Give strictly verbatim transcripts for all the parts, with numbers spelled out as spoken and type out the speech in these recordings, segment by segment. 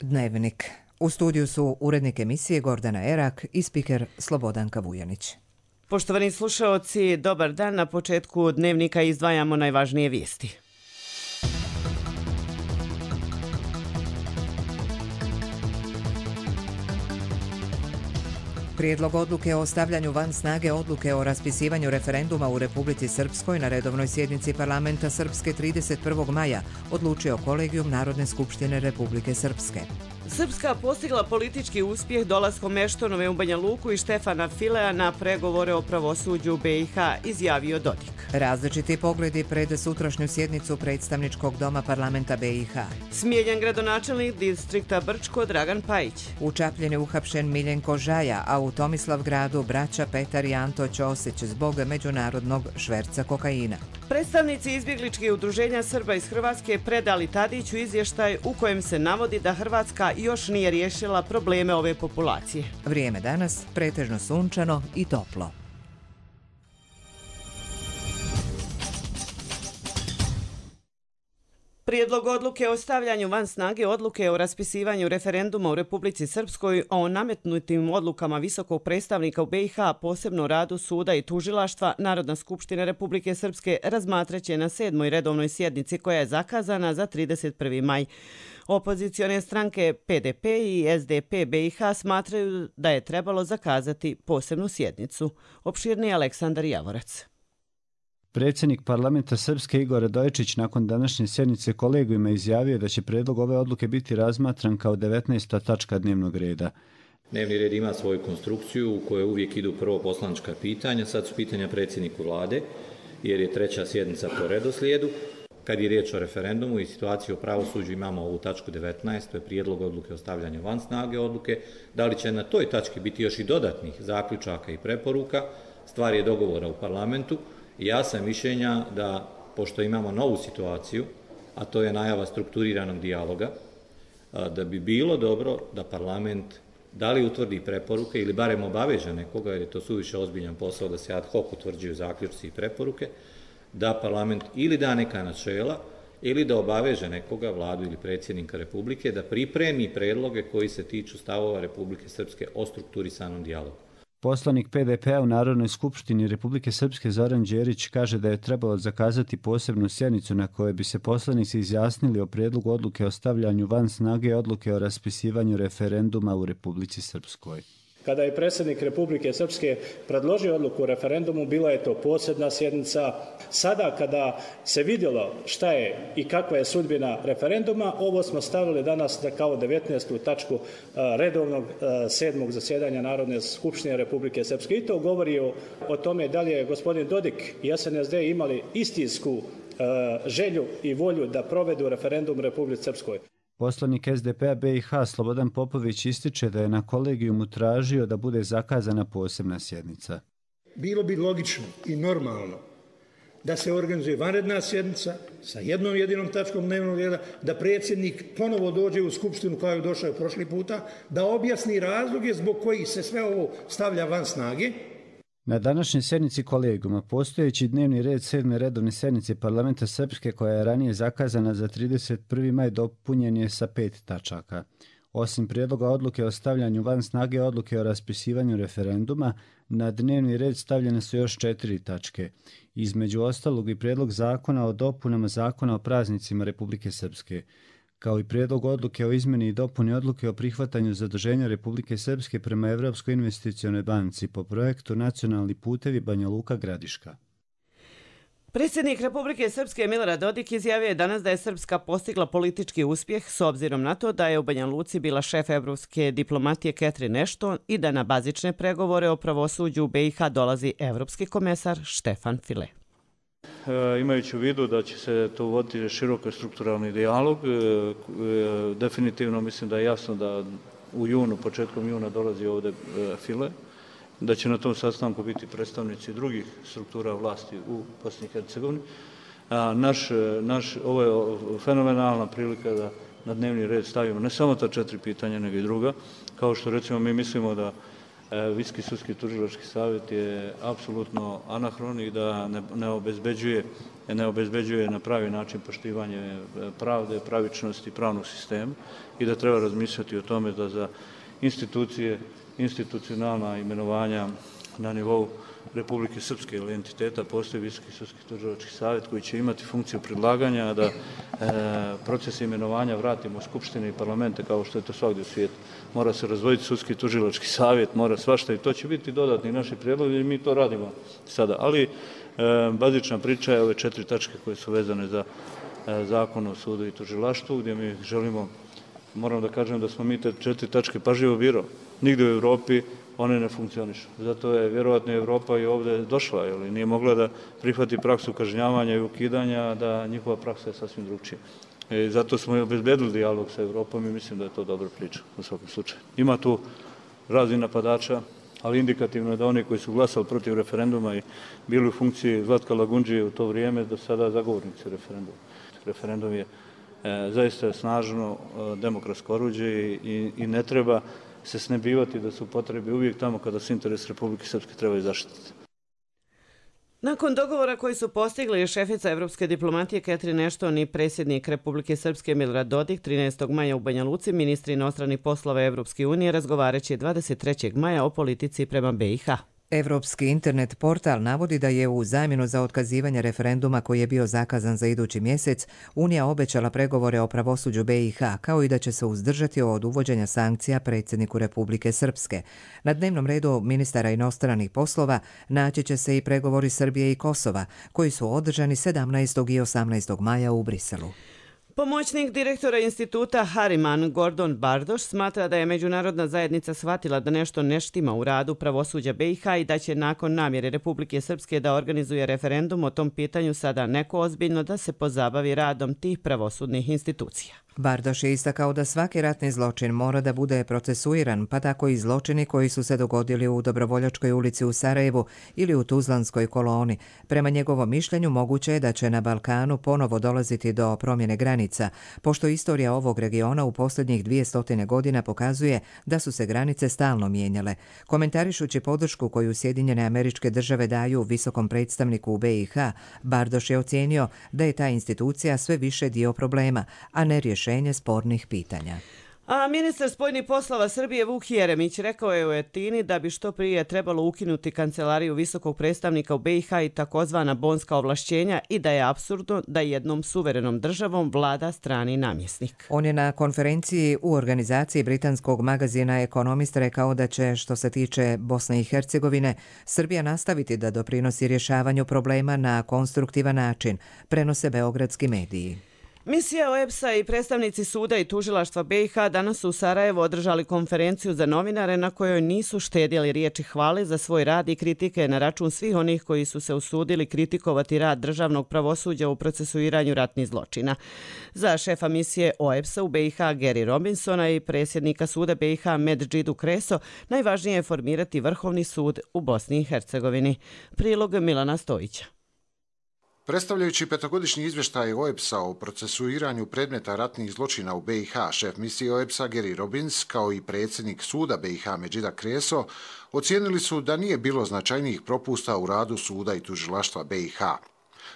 Dnevnik. U studiju su urednik emisije Gordana Erak i spiker Slobodanka Vujanić. Poštovani slušaoci, dobar dan. Na početku Dnevnika izdvajamo najvažnije vijesti. Prijedlog odluke o stavljanju van snage odluke o raspisivanju referenduma u Republici Srpskoj na redovnoj sjednici parlamenta Srpske trideset prvog maja odlučio Kolegijum Narodne skupštine Republike Srpske. Srpska postigla politički uspjeh dolaskom Eštonove u Banja Luku i Štefana Filea na pregovore o pravosuđu be i ha, izjavio Dodik. Različiti pogledi pred sutrašnju sjednicu predstavničkog doma parlamenta be i ha. Smijenjen gradonačelnik distrikta Brčko Dragan Pajić. U Čapljini uhapšen Miljenko Žaja, a u Tomislavgradu braća Petar i Anto Ćosić zbog međunarodnog šverca kokaina. Predstavnici izbjegličkih udruženja Srba iz Hrvatske predali Tadiću izvještaj u kojem se navodi da Hrvatska još nije riješila probleme ove populacije. Vrijeme danas pretežno sunčano i toplo. Prijedlog odluke o stavljanju van snage odluke o raspisivanju referenduma u Republici Srpskoj o nametnutim odlukama visokog predstavnika u be i ha, posebno radu suda i tužilaštva, Narodna skupština Republike Srpske razmatraće na sedmoj redovnoj sjednici koja je zakazana za trideset prvi maj. Opozicione stranke pe de pe i es de pe be i ha smatraju da je trebalo zakazati posebnu sjednicu. Opširni Aleksandar Javorac. Predsjednik parlamenta Srpske Igor Radojičić nakon današnje sjednice kolegijuma izjavio da će prijedlog ove odluke biti razmatran kao devetnaesta tačka dnevnog reda. Dnevni red ima svoju konstrukciju u kojoj uvijek idu prvo poslanička pitanja, sad su pitanja predsjedniku vlade, jer je treća sjednica po redoslijedu. Kad je riječ o referendumu i situaciji o pravosuđu, imamo ovu tačku devetnaest, to je prijedlog odluke o stavljanju van snage odluke. Da li će na toj tački biti još i dodatnih zaključaka i preporuka, stvar je dogovora u parlamentu. Ja sam mišljenja da, pošto imamo novu situaciju, a to je najava strukturiranog dijaloga, da bi bilo dobro da parlament da li utvrdi preporuke ili barem obaveže nekoga, jer je to suviše ozbiljan posao da se ad hoc utvrđuju zaključci i preporuke, da parlament ili da neka načela ili da obaveže nekoga, vladu ili predsjednika Republike, da pripremi predloge koji se tiču stavova Republike Srpske o strukturisanom dijalogu. Poslanik pe de pe-a u Narodnoj skupštini Republike Srpske Zoran Đerić kaže da je trebalo zakazati posebnu sjednicu na kojoj bi se poslanici izjasnili o prijedlogu odluke o stavljanju van snage odluke o raspisivanju referenduma u Republici Srpskoj. Kada je predsjednik Republike Srpske predložio odluku o referendumu, bila je to posebna sjednica. Sada kada se vidjelo šta je i kakva je sudbina referenduma, ovo smo stavili danas kao devetnaestu tačku redovnog sedmog zasjedanja Narodne skupštine Republike Srpske. I to govori o, o tome da li je gospodin Dodik i es en es de imali istinsku želju i volju da provedu referendum u Republici Srpskoj. Poslanik es de pe-a be i ha Slobodan Popović ističe da je na kolegijumu tražio da bude zakazana posebna sjednica. Bilo bi logično i normalno da se organizuje vanredna sjednica sa jednom jedinom tačkom dnevnog reda, da predsjednik ponovo dođe u skupštinu kao je došao prošli puta, da objasni razloge zbog kojih se sve ovo stavlja van snage. Na današnjoj sjednici kolegijuma postojeći dnevni red sedme redovne sjednice parlamenta Srpske koja je ranije zakazana za trideset prvi maj dopunjen je sa pet tačaka. Osim prijedloga odluke o stavljanju van snage odluke o raspisivanju referenduma, na dnevni red stavljene su još četiri tačke. Između ostalog i prijedlog zakona o dopunama zakona o praznicima Republike Srpske, kao i prijedlog odluke o izmjeni i dopuni odluke o prihvatanju zaduženja Republike Srpske prema Evropskoj investicionoj banci po projektu Nacionalni putevi Banja Luka Gradiška. Predsjednik Republike Srpske Milorad Dodik izjavio je danas da je Srpska postigla politički uspjeh s obzirom na to da je u Banja Luci bila šef evropske diplomatije Catherine Ashton i da na bazične pregovore o pravosuđu u be i ha dolazi evropski komesar Štefan File. Imajući u vidu da će se to voditi široko strukturalni dijalog, definitivno mislim da je jasno da u junu, početkom juna dolazi ovdje File, da će na tom sastanku biti predstavnici drugih struktura vlasti u Bosni i Hercegovini. Naš, naš, ovo je fenomenalna prilika da na dnevni red stavimo ne samo ta četiri pitanja, nego i druga. Kao što recimo mi mislimo da Visoki sudski tužilački savjet je apsolutno anahron i da ne, ne, obezbeđuje, ne obezbeđuje na pravi način poštivanje pravde, pravičnosti pravnog sistema i da treba razmišljati o tome da za institucije, institucionalna imenovanja na nivou Republike Srpske ili entiteta postoji Visoki sudski tužilački savjet koji će imati funkciju predlaganja da e, proces imenovanja vratimo u Skupštine i parlamente kao što je to svakdje u svijetu. Mora se razvojiti sudski tužilački savjet, mora svašta i to će biti dodatni naši prijedlozi i mi to radimo sada. Ali e, bazična priča je ove četiri tačke koje su vezane za e, zakon o sudu i tužilaštvu gdje mi želimo, moram da kažem da smo mi te četiri tačke pažljivo birali. Nigdje u Evropi one ne funkcionišu. Zato je vjerovatno Evropa i ovdje došla, jer nije mogla da prihvati praksu kažnjavanja i ukidanja, da njihova praksa je sasvim drugčija. I zato smo i obezbedili dijalog sa Evropom i mislim da je to dobra priča u svakom slučaju. Ima tu raznih napadača, ali indikativno je da oni koji su glasali protiv referenduma i bili u funkciji Zlatka Lagundžije u to vrijeme, do sada zagovornici referenduma. Referendum je e, zaista snažno e, demokratsko oruđe i, i, i ne treba se snebivati da su potrebe uvijek tamo kada se interes Republike Srpske trebaju zaštititi. Nakon dogovora koji su postigli šefica evropske diplomatije Catherine Ashton i predsjednik Republike Srpske Milorad Dodik trinaestog maja u Banja Luci, ministri inostranih poslova Evropske unije razgovaraće dvadeset trećeg maja o politici prema B i H. Evropski internet portal navodi da je u zamjenu za otkazivanje referenduma koji je bio zakazan za idući mjesec, Unija obećala pregovore o pravosuđu B i H, kao i da će se uzdržati od uvođenja sankcija predsjedniku Republike Srpske. Na dnevnom redu ministara inostranih poslova naći će se i pregovori Srbije i Kosova, koji su održani sedamnaestog i osamnaestog maja u Briselu. Pomoćnik direktora instituta Hariman Gordon Bardoš smatra da je međunarodna zajednica shvatila da nešto ne štima u radu pravosuđa B i H i da će nakon namjere Republike Srpske da organizuje referendum o tom pitanju sada neko ozbiljno da se pozabavi radom tih pravosudnih institucija. Bardoš je istakao da svaki ratni zločin mora da bude procesuiran, pa tako i zločini koji su se dogodili u Dobrovoljačkoj ulici u Sarajevu ili u Tuzlanskoj koloni. Prema njegovom mišljenju moguće je da će na Balkanu ponovo dolaziti do promjene granica, pošto istorija ovog regiona u posljednjih dvjesto godina pokazuje da su se granice stalno mijenjale. Komentarišući podršku koju Sjedinjene Američke Države daju visokom predstavniku u B i H, Bardoš je ocijenio da je ta institucija sve više dio problema, a ne rješenje spornih pitanja. A ministar spoljnih poslova Srbije Vuk Jeremić rekao je u Etini da bi što prije trebalo ukinuti kancelariju visokog predstavnika u B i H i takozvana bonska ovlašćenja i da je apsurdno da jednom suverenom državom vlada strani namjesnik. On je na konferenciji u organizaciji britanskog magazina Economist rekao da će, što se tiče Bosne i Hercegovine, Srbija nastaviti da doprinosi rješavanju problema na konstruktivan način, prenose beogradski mediji. Misija O E B S-a i predstavnici suda i tužilaštva B i H danas su u Sarajevu održali konferenciju za novinare na kojoj nisu štedjeli riječi hvale za svoj rad i kritike na račun svih onih koji su se usudili kritikovati rad državnog pravosuđa u procesuiranju ratnih zločina. Za šefa misije O E B S-a u B i H Gary Robinsona i predsjednika suda B i H Medžidu Kreso najvažnije je formirati Vrhovni sud u Bosni i Hercegovini. Prilog Milana Stojića. Predstavljajući petogodišnji izvještaj O E B S-a o procesuiranju predmeta ratnih zločina u B i H, šef misije O E B S-a Gary Robins, kao i predsjednik suda B i H Medžida Kreso, ocijenili su da nije bilo značajnijih propusta u radu suda i tužilaštva B i H.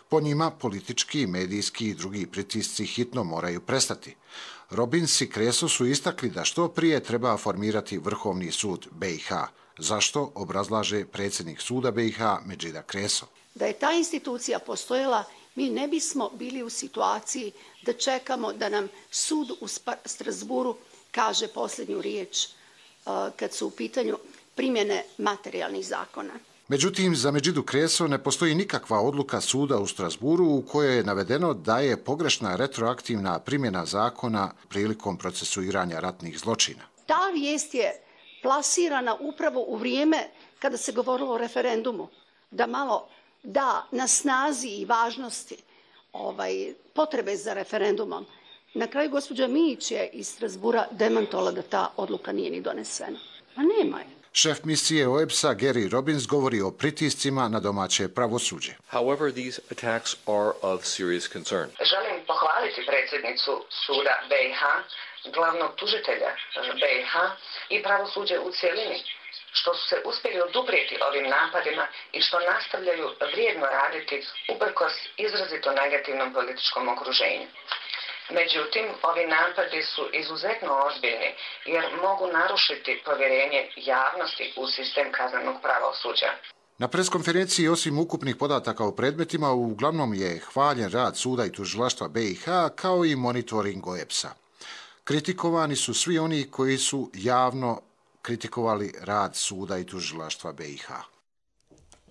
Po njima, politički, medijski i drugi pritisci hitno moraju prestati. Robins i Kreso su istakli da što prije treba formirati Vrhovni sud B i H. Zašto, obrazlaže predsjednik suda B i H Medžida Kreso. Da je ta institucija postojala, mi ne bismo bili u situaciji da čekamo da nam sud u Strasburu kaže posljednju riječ kad su u pitanju primjene materijalnih zakona. Međutim, za Medžidu Kreso ne postoji nikakva odluka suda u Strasburu u kojoj je navedeno da je pogrešna retroaktivna primjena zakona prilikom procesuiranja ratnih zločina. Ta vijest je plasirana upravo u vrijeme kada se govorilo o referendumu, da malo da na snazi i važnosti ovaj, potrebe za referendumom. Na kraju gospođa Mijić je iz Strasbura demantovala da ta odluka nije ni donesena. A nema je. Šef misije O E B S-a Gary Robins govori o pritiscima na domaće pravosuđe. However, these attacks are of serious concern. Želim pohvaliti predsjednicu suda B i H, glavnog tužitelja B i H i pravosuđe u cijelini što su se uspjeli oduprijeti ovim napadima i što nastavljaju vrijedno raditi uprkos izrazito negativnom političkom okruženju. Međutim, ovi napadi su izuzetno ozbiljni jer mogu narušiti povjerenje javnosti u sistem kaznenog pravosuđa. Na preskonferenciji osim ukupnih podataka o predmetima uglavnom je hvaljen rad suda i tužilaštva B i H kao i monitoring O E B S-a. Kritikovani su svi oni koji su javno kritikovali rad suda i tužilaštva B i H.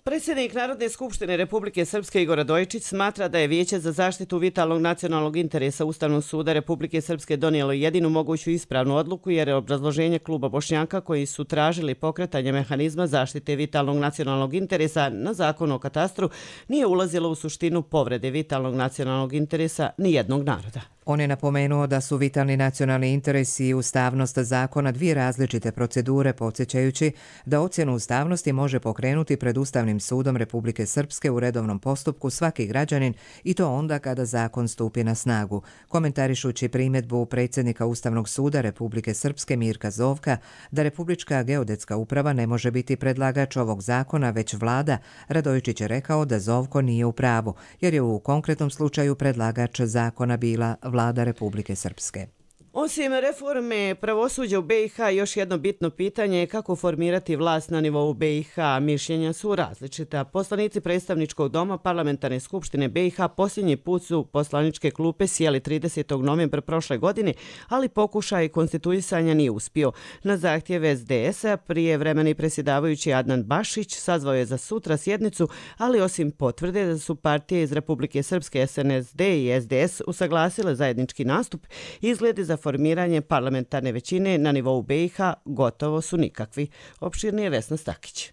Predsjednik Narodne skupštine Republike Srpske Igor Radojičić smatra da je Vijeće za zaštitu vitalnog nacionalnog interesa Ustavnog suda Republike Srpske donijelo jedinu moguću ispravnu odluku jer je obrazloženje kluba Bošnjaka koji su tražili pokretanje mehanizma zaštite vitalnog nacionalnog interesa na zakon o katastru nije ulazilo u suštinu povrede vitalnog nacionalnog interesa nijednog naroda. On je napomenuo da su vitalni nacionalni interesi i ustavnost zakona dvije različite procedure, podsjećajući da ocjenu ustavnosti može pokrenuti pred Ustavnim sudom Republike Srpske u redovnom postupku svaki građanin i to onda kada zakon stupi na snagu. Komentarišući primjedbu predsjednika Ustavnog suda Republike Srpske Mirka Zovka da Republička geodetska uprava ne može biti predlagač ovog zakona, već vlada, Radojičić je rekao da Zovko nije u pravu, jer je u konkretnom slučaju predlagač zakona bila vlada Republike Srpske. Osim reforme pravosuđa u B i H, još jedno bitno pitanje je kako formirati vlast na nivou B i H. Mišljenja su različita. Poslanici predstavničkog doma Parlamentarne skupštine B i H posljednji put su poslaničke klupe sjeli tridesetog novembra prošle godine, ali pokušaj konstituisanja nije uspio. Na zahtjev S D S-a prijevremeni predsjedavajući Adnan Bašić sazvao je za sutra sjednicu, ali osim potvrde da su partije iz Republike Srpske S N S D i S D S usaglasile zajednički nastup, izgledi za formiranje parlamentarne većine na nivou B i H gotovo su nikakvi. Opširnije Vesna Stakić.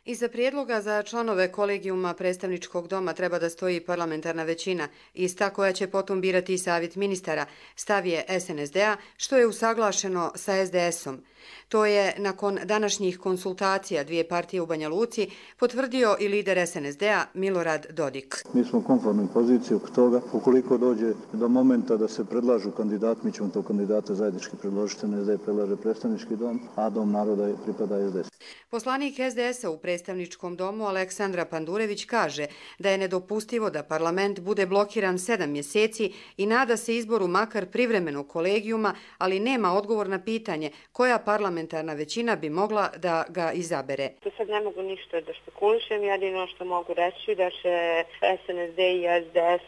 Iza prijedloga za članove kolegijuma predstavničkog doma treba da stoji parlamentarna većina, ista koja će potom birati i savjet ministara, stav je S N S D-a, što je usaglašeno sa S D S-om. To je, nakon današnjih konsultacija dvije partije u Banja Luci, potvrdio i lider S N S D-a Milorad Dodik. Mi smo u konformnoj poziciji oko toga. Ukoliko dođe do momenta da se predlažu kandidat, mi ćemo to kandidata zajednički predložiti. S N S D predlaže predstavnički dom, a dom naroda pripada S D S. Poslanik S D S-a u predstavničkom domu Aleksandra Pandurević kaže da je nedopustivo da parlament bude blokiran sedam mjeseci i nada se izboru makar privremenog kolegijuma, ali nema odgovor na pitanje koja parlamentarna većina bi mogla da ga izabere. To sad ne mogu ništa da špekulišem, jedino što mogu reći da će S N S D i S D S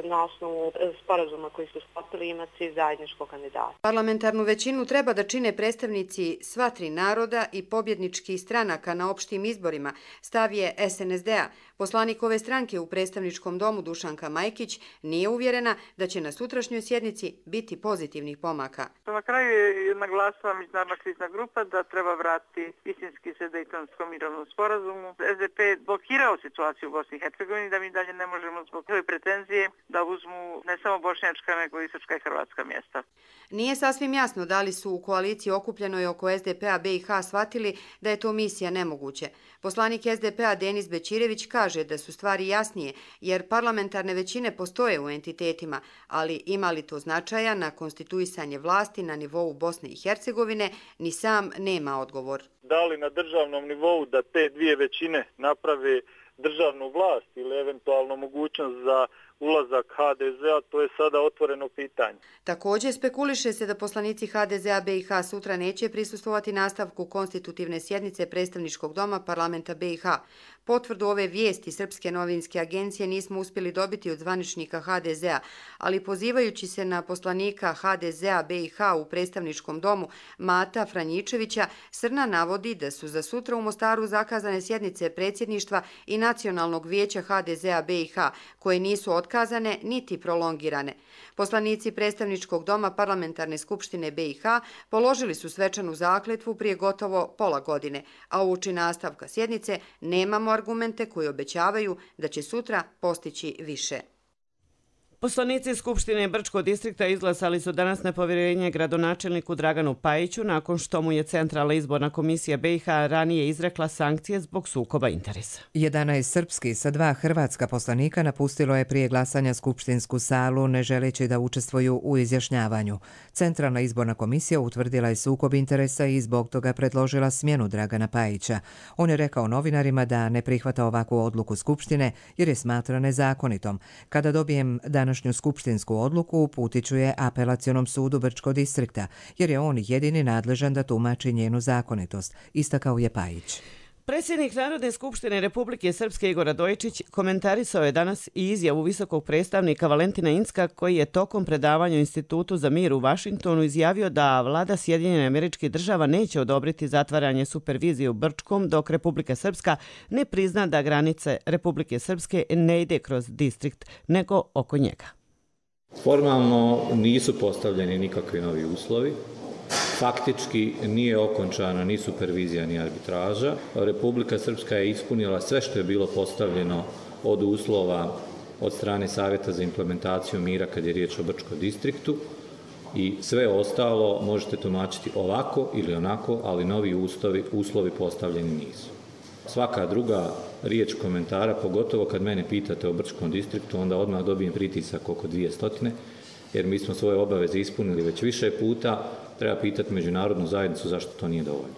na osnovu sporazuma koji su sklopili imati zajedničkog kandidata. Parlamentarnu većinu treba da čine predstavnici sva tri naroda i pobjedničkih stranaka na opštim izborima, stav je S N S D-a. Poslanik ove stranke u predstavničkom domu Dušanka Majkić nije uvjerena da će na sutrašnjoj sjednici biti pozitivnih pomaka. Na kraju je naglasila Međunarodna krizna grupa da treba vratiti istinski se Dejtonskom mirovnom sporazumu. S D P je blokirao situaciju u Bosni i Hercegovini da mi dalje ne možemo zbog ove pretenzije da uzmu ne samo bošnjačka nego i srpska i hrvatska mjesta. Nije sasvim jasno da li su u koaliciji okupljenoj oko S D P-a B i H shvatili da je to misija nemoguće. Poslanik S D P-a Denis Bećirević kaže da su stvari jasnije jer parlamentarne većine postoje u entitetima, ali ima li to značaja na konstituisanje vlasti na nivou Bosne i Hercegovine, ni sam nema odgovor. Da li na državnom nivou da te dvije većine naprave državnu vlast ili eventualno mogućnost za ulazak H D Z-a, to je sada otvoreno pitanje. Također spekuliše se da poslanici H D Z-a B i H sutra neće prisustvovati nastavku konstitutivne sjednice predstavničkog doma parlamenta B i H. Potvrdu ove vijesti Srpske novinske agencije nismo uspjeli dobiti od zvaničnika H D Z-a, ali pozivajući se na poslanika H D Z-a B i H u predstavničkom domu Mata Franjičevića, Srna navodi da su za sutra u Mostaru zakazane sjednice predsjedništva i Nacionalnog vijeća H D Z-a B i H, koje nisu otkazane niti prolongirane. Poslanici predstavničkog doma Parlamentarne skupštine B i H položili su svečanu zakletvu prije gotovo pola godine, a uoči nastavka sjednice nemamo argumente koji obećavaju da će sutra postići više. Poslanici Skupštine Brčkog distrikta izglasali su danas nepovjerenje gradonačelniku Draganu Pajiću nakon što mu je Centralna izborna komisija B i H ranije izrekla sankcije zbog sukoba interesa. jedanaest srpskih sa dva hrvatska poslanika napustilo je prije glasanja skupštinsku salu ne želeći da učestvuju u izjašnjavanju. Centralna izborna komisija utvrdila je sukob interesa i zbog toga predložila smjenu Dragana Pajića. On je rekao novinarima da ne prihvata ovakvu odluku Skupštine jer je smatra nezakonitom. Kada dobijem današnju skupštinsku odluku uputit ću je apelacionom sudu Brčkog distrikta, jer je on jedini nadležan da tumači njenu zakonitost, istakao je Pajić. Predsjednik Narodne skupštine Republike Srpske Igor Radojičić komentarisao je danas i izjavu visokog predstavnika Valentina Incka koji je tokom predavanja u Institutu za mir u Vašingtonu izjavio da vlada Sjedinjenih Američkih Država neće odobriti zatvaranje supervizije u Brčkom dok Republika Srpska ne prizna da granice Republike Srpske ne ide kroz distrikt nego oko njega. Formalno nisu postavljeni nikakvi novi uslovi. Faktički nije okončana ni supervizija ni arbitraža. Republika Srpska je ispunila sve što je bilo postavljeno od uslova od strane Savjeta za implementaciju mira kad je riječ o Brčkom distriktu i sve ostalo možete tumačiti ovako ili onako, ali novi uslovi, uslovi postavljeni nisu. Svaka druga riječ komentara, pogotovo kad mene pitate o Brčkom distriktu, onda odmah dobijem pritisak oko dvije stotine, jer mi smo svoje obaveze ispunili već više puta. Treba pitati međunarodnu zajednicu zašto to nije dovoljno.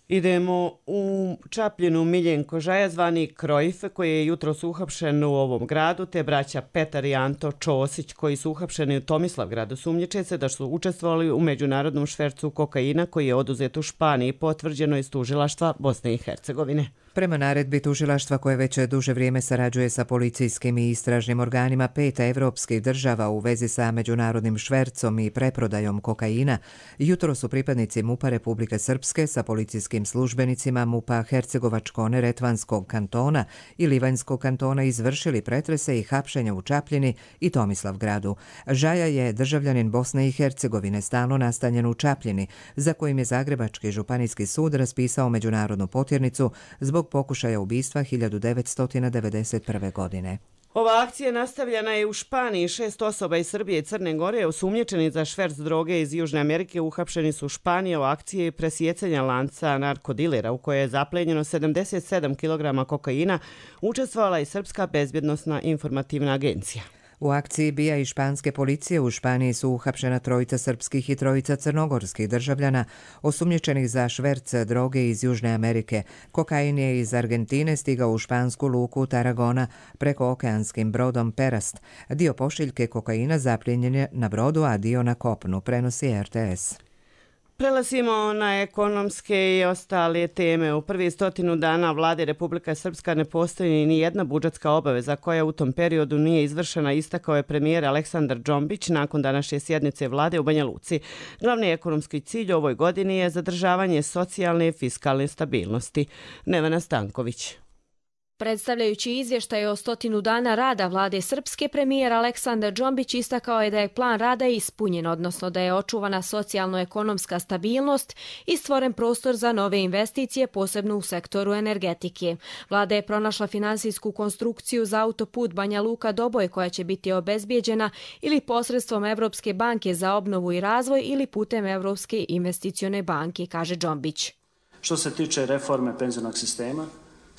Idemo u Čapljinu. Miljenko Žaja, zvani Krojf, koji je jutros uhapšen u ovom gradu, te braća Petar i Anto Čosić, koji su uhapšeni u Tomislavgradu, sumnjiče se da su učestvovali u međunarodnom švercu kokaina koji je oduzet u Španiji, potvrđeno iz tužilaštva Bosne i Hercegovine. Prema naredbi tužilaštva koje već duže vrijeme sarađuje sa policijskim i istražnim organima pet evropskih država u vezi sa međunarodnim švercom i preprodajom kokaina, jutro su pripadnici MUP-a Republike Srpske sa policijskim službenicima MUP-a Hercegovačko-Neretvanskog kantona i Livanjskog kantona izvršili pretrese i hapšenja u Čapljini i Tomislavgradu. Žaja je državljanin Bosne i Hercegovine, stalno nastanjen u Čapljini, za kojim je Zagrebački županijski sud raspisao međunarodnu potjernicu zbog pokušaja ubistva hiljadu devetsto devedeset prve. godine. Ova akcija nastavljena je u Španiji. Šest osoba iz Srbije i Crne Gore osumnjičeni za šverc droge iz Južne Amerike uhapšeni su u Španiji u akciji presjecanja lanca narkodilera u kojoj je zaplenjeno sedamdeset sedam kilograma kokaina, učestvovala i Srpska bezbjednosna informativna agencija. U akciji B I A i španske policije u Španiji su uhapšena trojica srpskih i trojica crnogorskih državljana osumnjičenih za šverc droge iz Južne Amerike. Kokain je iz Argentine stigao u špansku luku Tarragona preko okeanskim brodom Perast. Dio pošiljke kokaina zapljenjen je na brodu, a dio na kopnu, prenosi R T S. Prelazimo na ekonomske i ostale teme. U prvi stotinu dana vlade Republika Srpska ne postoji ni jedna budžetska obaveza koja u tom periodu nije izvršena, istakao je premijer Aleksandar Džombić nakon današnje sjednice vlade u Banja Luci. Glavni ekonomski cilj u ovoj godini je zadržavanje socijalne i fiskalne stabilnosti. Nevena Stanković. Predstavljajući izvještaj o stotinu dana rada vlade Srpske, premijer Aleksandar Džombić istakao je da je plan rada ispunjen, odnosno da je očuvana socijalno-ekonomska stabilnost i stvoren prostor za nove investicije, posebno u sektoru energetike. Vlada je pronašla finansijsku konstrukciju za autoput Banja Luka-Doboj koja će biti obezbijeđena ili posredstvom Evropske banke za obnovu i razvoj ili putem Evropske investicione banke, kaže Džombić. Što se tiče reforme penzionog sistema,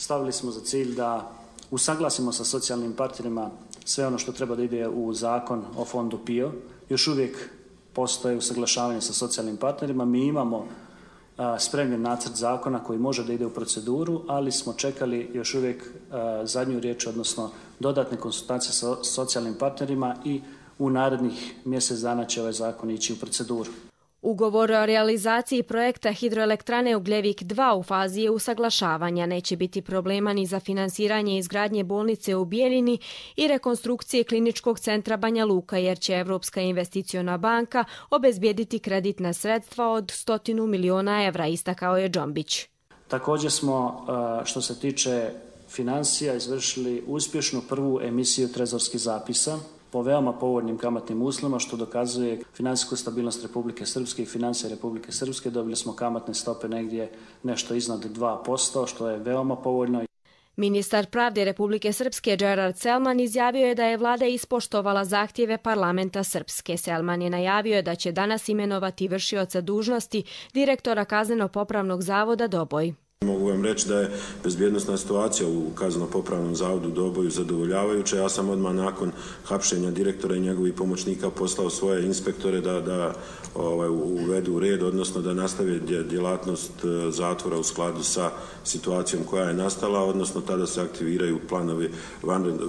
stavili smo za cilj da usaglasimo sa socijalnim partnerima sve ono što treba da ide u zakon o fondu P I O. Još uvijek postoje usaglašavanje sa socijalnim partnerima. Mi imamo a, spremljen nacrt zakona koji može da ide u proceduru, ali smo čekali još uvijek a, zadnju riječ, odnosno dodatne konsultacije sa socijalnim partnerima i u narednih mjesec dana će ovaj zakon ići u proceduru. Ugovor o realizaciji projekta hidroelektrane Ugljevik dva u fazi je usaglašavanja. Neće biti problema ni za finansiranje izgradnje bolnice u Bijeljini i rekonstrukcije kliničkog centra Banja Luka, jer će Evropska investiciona banka obezbijediti kreditna sredstva od stotinu miliona evra, istakao je Džombić. Također smo, što se tiče financija, izvršili uspješnu prvu emisiju trezorskih zapisa po veoma povoljnim kamatnim uslovima, što dokazuje finansijsku stabilnost Republike Srpske i financije Republike Srpske. Dobili smo kamatne stope negdje nešto iznad dva posto, što je veoma povoljno. Ministar pravde Republike Srpske Gerard Selman izjavio je da je vlada ispoštovala zahtjeve parlamenta Srpske. Selman je najavio da će danas imenovati vršioca dužnosti direktora Kazneno-popravnog zavoda Doboj. Mogu vam reći da je bezbjednosna situacija u Kazneno-popravnom zavodu Doboju zadovoljavajuća. Ja sam odmah nakon hapšenja direktora i njegovih pomoćnika poslao svoje inspektore da, da ovaj, uvedu red, odnosno da nastave djelatnost zatvora u skladu sa situacijom koja je nastala, odnosno tada se aktiviraju planovi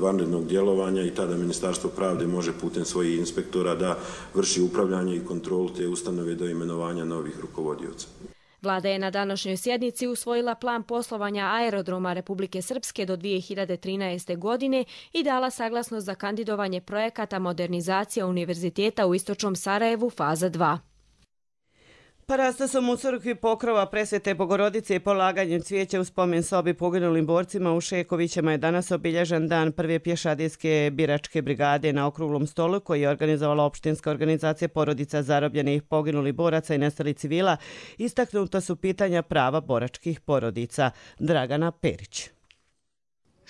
vanrednog djelovanja i tada Ministarstvo pravde može putem svojih inspektora da vrši upravljanje i kontrolu te ustanove do imenovanja novih rukovodioca. Vlada je na današnjoj sjednici usvojila plan poslovanja aerodroma Republike Srpske do dvije hiljade trinaeste. godine i dala saglasnost za kandidovanje projekata modernizacija univerziteta u Istočnom Sarajevu faza dva. Parastasom u crkvi Pokrova Presvete Bogorodice i polaganjem cvijeća u spomen sobi poginulim borcima u Šekovićima je danas obilježen dan prve pješadijske biračke brigade na okruglom stolu koji je organizovala opštinska organizacija porodica zarobljenih poginulih boraca i nestalih civila. Istaknuta su pitanja prava boračkih porodica. Dragana Perić.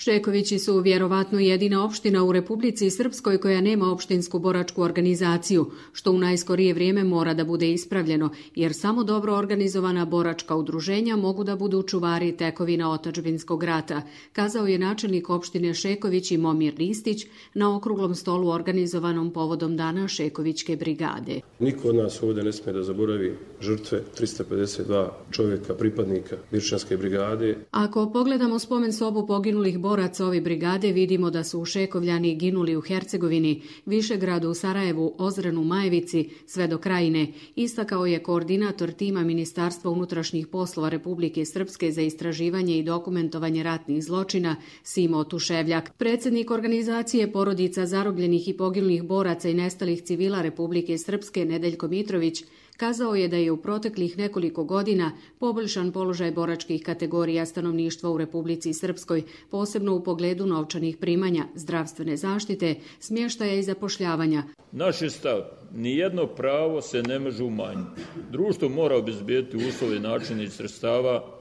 Šekovići su vjerovatno jedina opština u Republici Srpskoj koja nema opštinsku boračku organizaciju, što u najskorije vrijeme mora da bude ispravljeno, jer samo dobro organizovana boračka udruženja mogu da budu čuvari tekovina otadžbinskog rata, kazao je načelnik opštine Šeković i Momir Ristić na okruglom stolu organizovanom povodom dana Šekovićke brigade. Niko od nas ovdje ne smije da zaboravi žrtve trista pedeset dva čovjeka, pripadnika Birčanske brigade. Ako pogledamo spomen sobu poginulih boraca ove brigade, vidimo da su u Šekovljani ginuli u Hercegovini, Višegradu, Sarajevu, Ozrenu, Majevici, sve do Krajine, istakao je koordinator tima Ministarstva unutrašnjih poslova Republike Srpske za istraživanje i dokumentovanje ratnih zločina Simo Tuševljak. Predsjednik organizacije porodica zarobljenih i poginulih boraca i nestalih civila Republike Srpske Nedeljko Mitrović kazao je da je u proteklih nekoliko godina poboljšan položaj boračkih kategorija stanovništva u Republici Srpskoj, posebno u pogledu novčanih primanja, zdravstvene zaštite, smještaja i zapošljavanja. Naš je stav, nijedno pravo se ne može umanjiti. Društvo mora obezbijeti uslove, načine i sredstava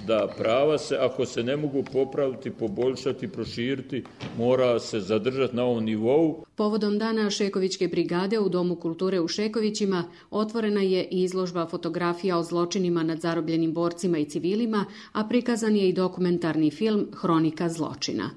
da prava se, ako se ne mogu popraviti, poboljšati, proširiti, mora se zadržati na ovom nivou. Povodom dana Šekovićke brigade u Domu kulture u Šekovićima otvorena je i izložba fotografija o zločinima nad zarobljenim borcima i civilima, a prikazan je i dokumentarni film Hronika zločina.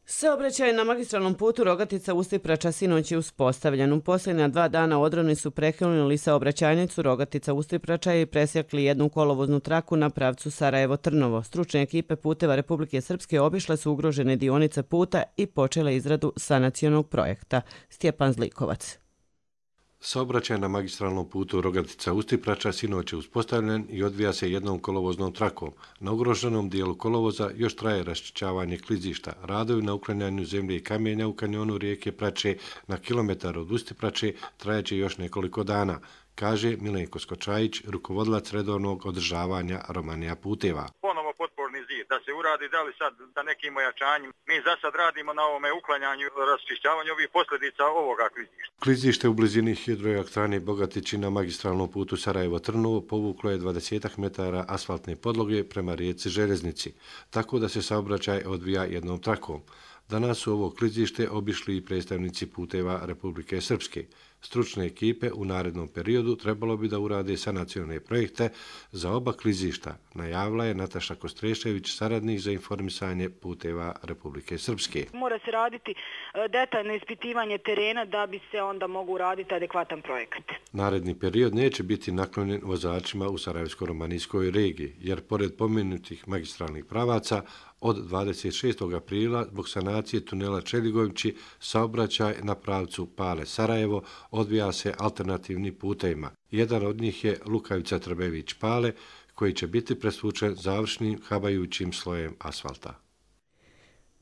Saobraćaj na magistralnom putu Rogatica-Ustiprača sinoć je uspostavljen. U posljednja dva dana odroni su prekinuli saobraćajnicu Rogatica-Ustiprača i presjekli jednu kolovoznu traku na pravcu Sarajevo-Trnovo. Stručne ekipe puteva Republike Srpske obišle su ugrožene dionice puta i počele izradu sanacionog projekta. Stjepan Zlikovac. Saobraćaj na magistralnom putu Rogatica-Ustiprača sinoć je uspostavljen i odvija se jednom kolovoznom trakom. Na ugroženom dijelu kolovoza još traje raščišćavanje klizišta. Radovi na uklanjanju zemlje i kamenja u kanjonu rijeke Prače na kilometar od Ustiprače trajeće još nekoliko dana, kaže Milenko Skočajić, rukovodilac redovnog održavanja Romanija puteva. Ponovo potporni zid, da se uradi, da li sad da nekim ojačanjem. Mi za sad radimo na ovome uklanjanju, raščišćavanju ovih posljedica ovoga klizišta. Klizište u blizini hidroelektrane Bogatići na magistralnom putu Sarajevo-Trnovo povuklo je dvadeset metara asfaltne podloge prema rijeci Željeznici, tako da se saobraćaj odvija jednom trakom. Danas su ovo klizište obišli i predstavnici puteva Republike Srpske. Stručne ekipe u narednom periodu trebalo bi da urade sanacione projekte za oba klizišta, najavila je Nataša Kostrešević, saradnik za informisanje puteva Republike Srpske. Mora se raditi detaljno ispitivanje terena da bi se onda mogu uraditi adekvatan projekat. Naredni period neće biti naklonjen vozačima u Sarajevsko-romanijskoj regiji, jer pored pomenutih magistralnih pravaca, od dvadeset šestog aprila zbog sanacije tunela Čeligovići saobraćaj na pravcu Pale-Sarajevo odvija se alternativni putevima. Jedan od njih je Lukavica-Trbević-Pale, koji će biti presvučen završnim habajućim slojem asfalta.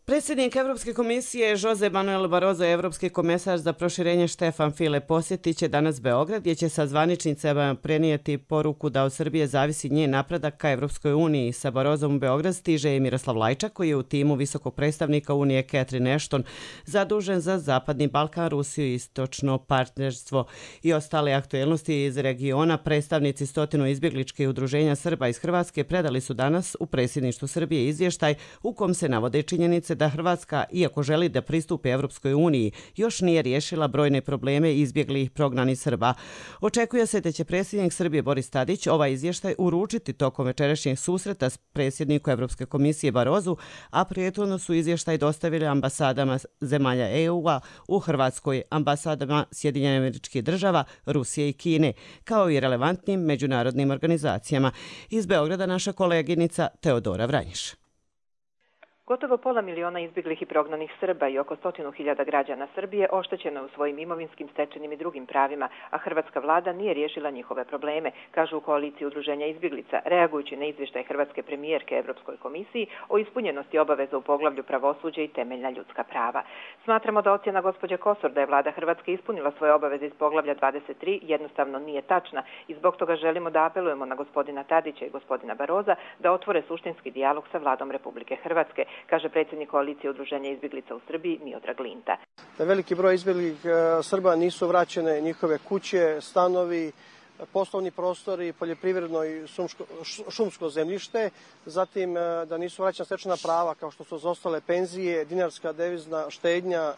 Predsjednik Evropske komisije Jose Manuel Barroso i Evropski komesar za proširenje Štefan File posjetit će danas Beograd, gdje će sa zvaničnicama prenijeti poruku da od Srbije zavisi njen napredak ka Evropskoj uniji. Sa Barrosom u Beograd stiže i Miroslav Lajčak, koji je u timu visokog predstavnika Unije Catherine Ashton zadužen za Zapadni Balkan, Rusiju i istočno partnerstvo i ostale aktuelnosti iz regiona. Predstavnici stotinu izbjegličkih udruženja Srba iz Hrvatske predali su danas u predsjedništvu Srbije izvještaj u kom se navode činjenice da Hrvatska, iako želi da pristupi Evropskoj uniji, još nije riješila brojne probleme izbjeglih prognanih Srba. Očekuje se da će predsjednik Srbije Boris Tadić ovaj izvještaj uručiti tokom večerašnjeg susreta s predsjednikom Evropske komisije Barrosu, a prethodno su izvještaj dostavili ambasadama zemalja E U-a u Hrvatskoj, ambasadama Sjedinjenih Američkih Država, Rusije i Kine, kao i relevantnim međunarodnim organizacijama. Iz Beograda naša koleginica Teodora Vranjiš. Gotovo pola miliona izbjeglih i prognanih Srba i oko stotinu hiljada građana Srbije oštećeno je u svojim imovinskim, stečenim i drugim pravima, a hrvatska vlada nije riješila njihove probleme, kažu u koaliciji udruženja izbjeglica, reagujući na izvještaj hrvatske premijerke Evropskoj komisiji o ispunjenosti obaveza u poglavlju pravosuđe i temeljna ljudska prava. Smatramo da ocjena gospođe Kosor da je vlada Hrvatske ispunila svoje obaveze iz poglavlja dvadeset tri jednostavno nije tačna i zbog toga želimo da apelujemo na gospodina Tadića i gospodina Barroza da otvore suštinski dijalog sa vladom Republike Hrvatske, kaže predsjednik koalicije udruženja izbjeglica u Srbiji Miodrag Linta. Veliki broj izbjeglih Srba nisu vraćene njihove kuće, stanovi, poslovni prostori, poljoprivredno i šumsko zemljište, zatim da nisu vraćena stečena prava kao što su izostale penzije, dinarska devizna štednja,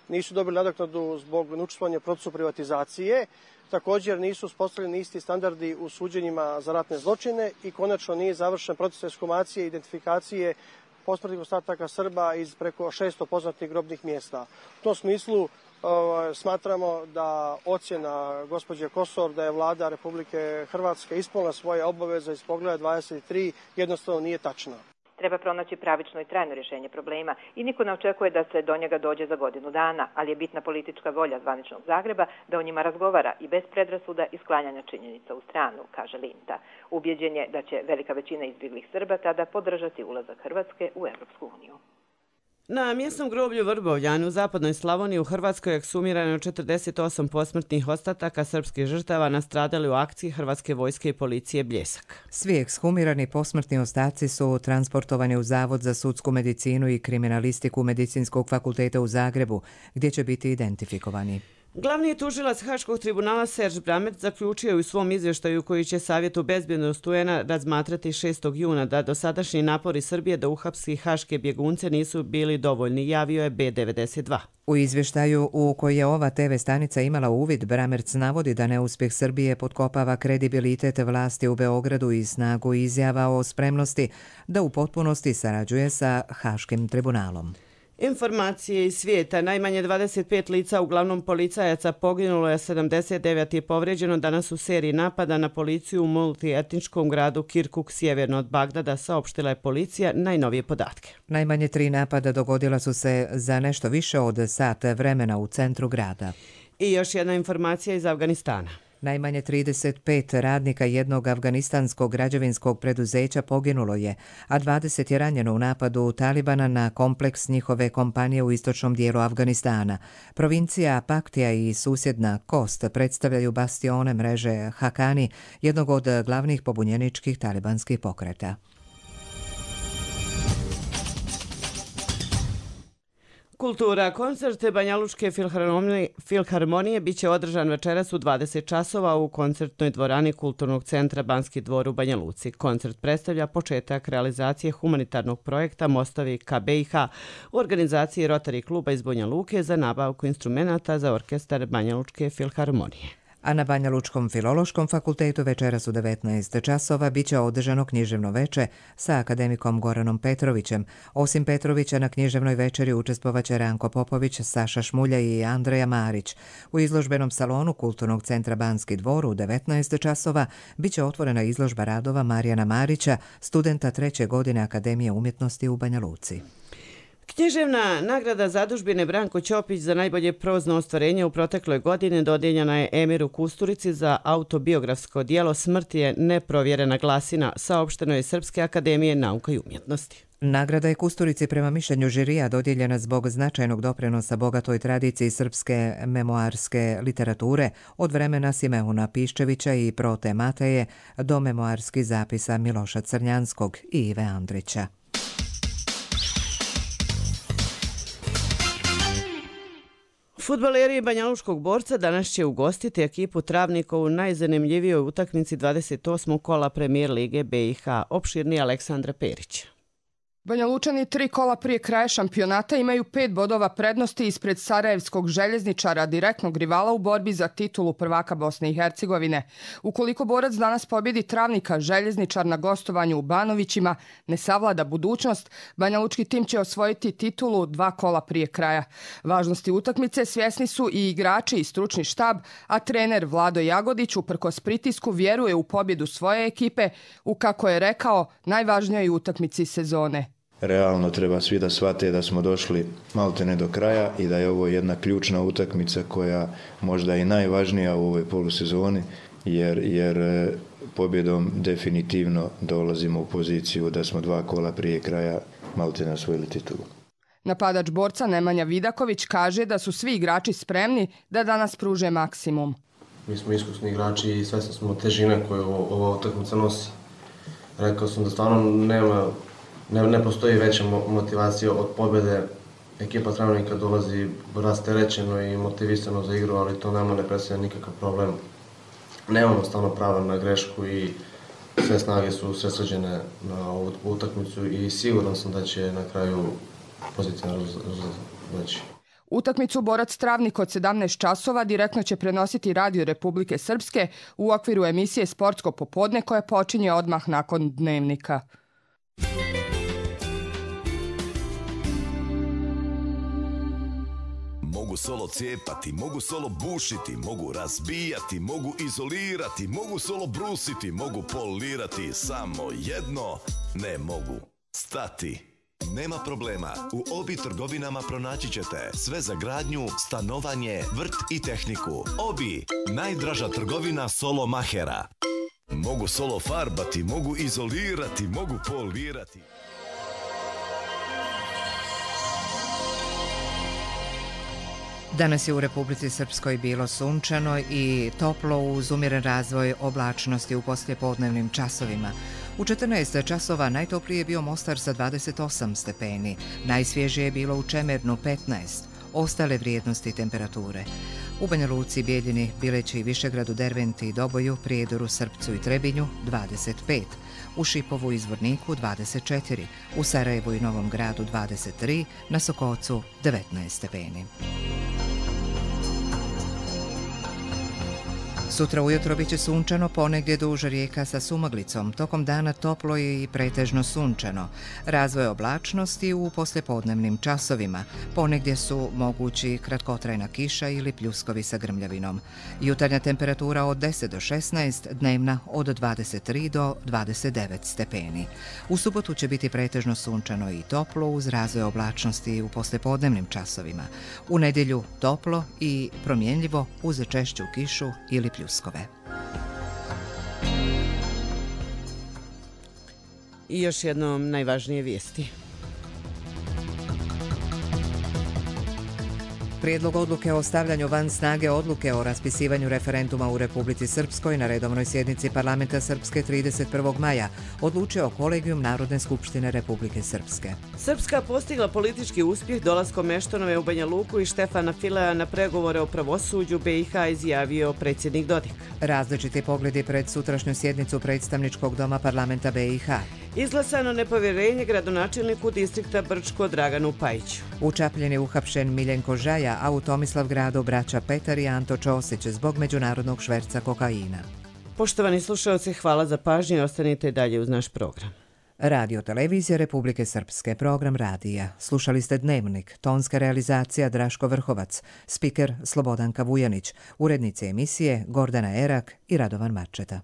nisu dobili nadoknadu zbog neučestvovanja u procesu privatizacije. Također nisu uspostavljeni isti standardi u suđenjima za ratne zločine i konačno nije završen proces ekshumacije i identifikacije posmrtnih ostataka Srba iz preko šesto poznatih grobnih mjesta. U tom smislu smatramo da ocjena gospođe Kosor da je vlada Republike Hrvatske ispunila svoje obaveze iz poglavlja dvadeset tri jednostavno nije tačna. Treba pronaći pravično i trajno rješenje problema i niko ne očekuje da se do njega dođe za godinu dana, ali je bitna politička volja zvaničnog Zagreba da o njima razgovara i bez predrasuda i sklanjanja činjenica u stranu, kaže Linta. Ubjeđen je da će velika većina izbjeglih Srba tada podržati ulazak Hrvatske u Evropsku uniju. Na mjesnom groblju Vrbovljanu u zapadnoj Slavoniji u Hrvatskoj je ekshumirano četrdeset osam posmrtnih ostataka srpskih žrtava nastradali u akciji Hrvatske vojske i policije Bljesak. Svi ekshumirani posmrtni ostaci su transportovani u Zavod za sudsku medicinu i kriminalistiku Medicinskog fakulteta u Zagrebu, gdje će biti identifikovani. Glavni tužilac Haškog tribunala Serž Bramec zaključio je u svom izvještaju koji će Savjetu bezbjednosti U N a razmatrati šestog juna da dosadašnji napori Srbije da uhapsi haške bjegunce nisu bili dovoljni, javio je B devedeset dva. U izvještaju u koji je ova te ve stanica imala uvid, Bramerc navodi da neuspjeh Srbije potkopava kredibilitet vlasti u Beogradu i snagu izjava o spremnosti da u potpunosti sarađuje sa Haškim tribunalom. Informacije iz svijeta. Najmanje dvadeset pet lica, uglavnom policajaca, poginulo je, sedamdeset devet je povrijeđeno danas u seriji napada na policiju u multietničkom gradu Kirkuk, sjeverno od Bagdada, saopštila je policija najnovije podatke. Najmanje tri napada dogodila su se za nešto više od sat vremena u centru grada. I još jedna informacija iz Afganistana. Najmanje trideset pet radnika jednog afganistanskog građevinskog preduzeća poginulo je, a dvadeset je ranjeno u napadu Talibana na kompleks njihove kompanije u istočnom dijelu Afganistana. Provincija Paktija i susjedna Kost predstavljaju bastione mreže Hakani, jednog od glavnih pobunjeničkih talibanskih pokreta. Kultura. Koncert Banjalučke filharmonije, filharmonije bit će održan večeras u dvadeset časova u koncertnoj dvorani Kulturnog centra Banski dvor u Banja Luci. Koncert predstavlja početak realizacije humanitarnog projekta Mostovi ka B i H u organizaciji Rotary kluba iz Banja Luke za nabavku instrumenata za orkestar Banjalučke filharmonije. A na Banja Lučkom filološkom fakultetu večeras u devetnaest časova bit će održano književno veče sa akademikom Goranom Petrovićem. Osim Petrovića na književnoj večeri učestvovaće Ranko Popović, Saša Šmulja i Andreja Marić. U izložbenom salonu Kulturnog centra Banski dvor u devetnaest časova bit će otvorena izložba radova Marijana Marića, studenta treće godine Akademije umjetnosti u Banja Luci. Književna nagrada zadužbine Branko Ćopić za najbolje prozno ostvarenje u protekloj godini dodijeljena je Emiru Kusturici za autobiografsko dijelo Smrt je neprovjerena glasina, saopšteno je Srpske akademije nauka i umjetnosti. Nagrada je Kusturici prema mišljenju žirija dodijeljena zbog značajnog doprinosa bogatoj tradiciji srpske memoarske literature od vremena Simehuna Piščevića i Prote Mateje do memoarskih zapisa Miloša Crnjanskog i Ive Andrića. Fudbaleri Banjalučkog Borca danas će ugostiti ekipu Travnikov u najzanimljivijoj utakmici dvadeset osmog kola Premijer lige B i H. Opširni Aleksandra Perić. Banjalučani tri kola prije kraja šampionata imaju pet bodova prednosti ispred Sarajevskog Željezničara, direktnog rivala u borbi za titulu prvaka Bosne i Hercegovine. Ukoliko Borac danas pobjedi Travnika, Željezničar na gostovanju u Banovićima ne savlada budućnost, banjalučki tim će osvojiti titulu dva kola prije kraja. Važnosti utakmice svjesni su i igrači i stručni štab, a trener Vlado Jagodić uprkos pritisku vjeruje u pobjedu svoje ekipe u, kako je rekao, najvažnijoj utakmici sezone. Realno treba svi da shvate da smo došli maltene do kraja i da je ovo jedna ključna utakmica koja možda i najvažnija u ovoj polusezoni, jer, jer pobjedom definitivno dolazimo u poziciju da smo dva kola prije kraja maltene osvojili titulu. Napadač Borca Nemanja Vidaković kaže da su svi igrači spremni da danas pruže maksimum. Mi smo iskusni igrači i svesni smo težine koju ova utakmica nosi. Rekao sam da stvarno nema Ne, ne postoji veća motivacija od pobjede. Ekipa Travnika dolazi rasterećeno i motivisano za igru, ali to nama ne predstavlja nikakav problem. Nemamo stvarno prava na grešku i sve snage su sredsređene na ovu utakmicu i siguran sam da će na kraju pozitivno doći. Utakmicu Borac Travnik od sedamnaest časova direktno će prenositi Radio Republike Srpske u okviru emisije Sportsko popodne koja počinje odmah nakon Dnevnika. Mogu solo cijepati, mogu solo bušiti, mogu razbijati, mogu izolirati, mogu solo brusiti, mogu polirati, samo jedno ne mogu stati. Nema problema, u Obi trgovinama pronaći ćete sve za gradnju, stanovanje, vrt i tehniku. Obi, najdraža trgovina solo mahera. Mogu solo farbati, mogu izolirati, mogu polirati. Danas je u Republici Srpskoj bilo sunčano i toplo uz umjeren razvoj oblačnosti u poslijepodnevnim časovima. U četrnaest časova najtoplije je bio Mostar sa dvadeset osam stepeni, najsvježije je bilo u Čemernu petnaest, ostale vrijednosti temperature. U Banja Luci, Bijeljini, Bileći, Višegradu, Derventi i Doboju, Prijedoru, Srpcu i Trebinju dvadeset pet, u Šipovu i Zvorniku dvadeset četiri, u Sarajevu i Novom Gradu dvadeset tri, na Sokocu devetnaest stepeni. Sutra ujutro biće sunčano, ponegdje duž rijeka sa sumaglicom. Tokom dana toplo je i pretežno sunčano. Razvoj oblačnosti u poslijepodnevnim časovima. Ponegdje su mogući kratkotrajna kiša ili pljuskovi sa grmljavinom. Jutarnja temperatura od deset do šesnaest, dnevna od dvadeset tri do dvadeset devet stepeni. U subotu će biti pretežno sunčano i toplo uz razvoj oblačnosti u poslijepodnevnim časovima. U nedjelju toplo i promjenljivo uz češću kišu ili pljuskovi. I još jednom najvažnije vijesti. Prijedlog odluke o stavljanju van snage odluke o raspisivanju referenduma u Republici Srpskoj na redovnoj sjednici parlamenta Srpske trideset prvog maja odlučio kolegijum Narodne skupštine Republike Srpske. Srpska postigla politički uspjeh dolaskom Meštonove u Banja Luku i Štefana Fileja na pregovore o pravosuđu B i H, izjavio predsjednik Dodik. Različiti pogledi pred sutrašnju sjednicu predstavničkog doma parlamenta B i H. Izglasano nepovjerenje gradonačelniku distrikta Brčko Draganu Pajiću. U Čapljini uhapšen Miljenko Žaja, a u Tomislavgradu braća Petar i Anto Čosić zbog međunarodnog šverca kokaina. Poštovani slušalci, hvala za pažnju i ostanite dalje uz naš program. Radio Televizija Republike Srpske, program radija. Slušali ste Dnevnik, tonska realizacija Draško Vrhovac, spiker Slobodanka Vujanić, urednice emisije Gordana Erak i Radovan Marčeta.